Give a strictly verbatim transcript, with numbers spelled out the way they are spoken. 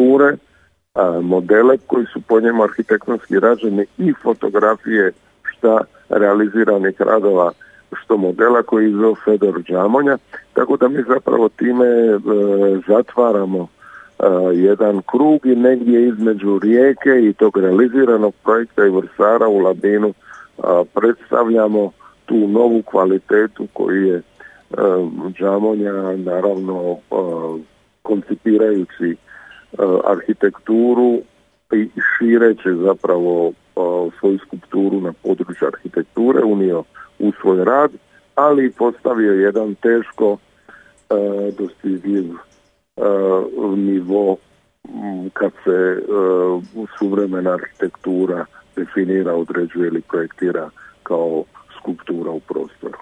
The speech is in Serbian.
arhitekture, modele koji su po njemu arhitektonski rađeni i fotografije šta realiziranih radova, što modela koji je izveo Fedor Džamonja, tako da mi zapravo time e, zatvaramo e, jedan krug i negdje između Rijeke i tog realiziranog projekta i Vrsara u Labinu e, predstavljamo tu novu kvalitetu koju je e, Džamonja naravno e, koncipirajući e, arhitekturu i šireći zapravo e, svoju skulpturu na području arhitekture unio u svoj rad, ali postavio jedan teško e, dostigljiv e, nivo kad se e, suvremena arhitektura definira, određuje ili projektira kao skulptura u prostoru.